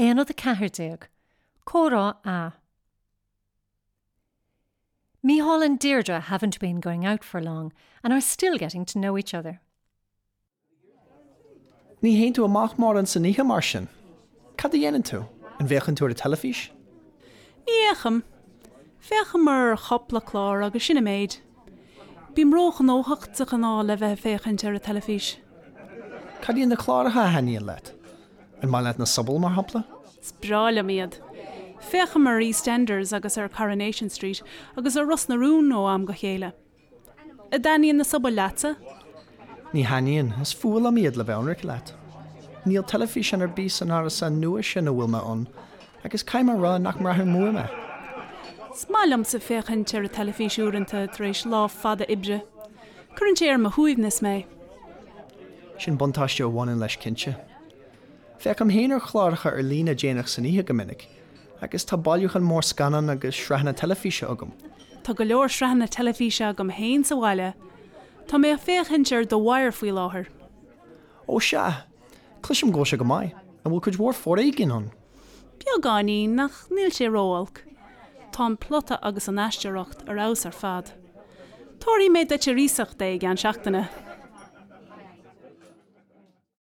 Aonad 14, Comhrá A. Mícheál and Deirdre haven't been going out for long and are still getting to know each other. Ní théann tú amach mórán san oíche mar sin? Cad a dhéanann tú? An bhféachann tú ar an teilifís? Ní fhéachaim. Féachaim ar chúpla clár agus sin an méid. Bím róghnóthach de ghnáth le bheith ag féachaint ar an teilifís. Cad iad na cláracha a thaitníonn leat? An maith leat na sobail, mar shampla? Is breá liom iad. Féachaim ar EastEnders agus ar Coronation Street agus ar Ros na Rún ó am go chéile. An dtaitníonn na sobail leatsa? Ní thaitníonn, is fuath liom iad le bheith ionraic leat. Níl teilifíseán ar bith san árasán nua sin a bhfuil mé ann agus caithfidh mé a rá nach mbraithim uaim é. Is maith liomsa féachaint ar an teilifís uaireanta tar éis lá fada oibre. Cuireann sé ar mo shuaimhneas mé. Sin buntáiste a bhaineann leis cinnte. Féachaim féin ar chláracha ar líne déanach san oíche go minic, agus tá bailiúchán mór scannán agus sraitheanna teilifíse agam. Tá go leor sraitheanna teilifíse agam féin sa bhaile. Tá mé ag féachaint ar The Wire faoi láthair. Ó sea! Cloisim go bhfuil sé go maith. An bhfuil cuid mhór foréigin ann? Beagáinín, ach níl sé ró-olc. Tá an plota agus an aisteoireacht ar fheabhas ar fad. Tabharfaidh mé duit ar iasacht é i gceann seachtaine.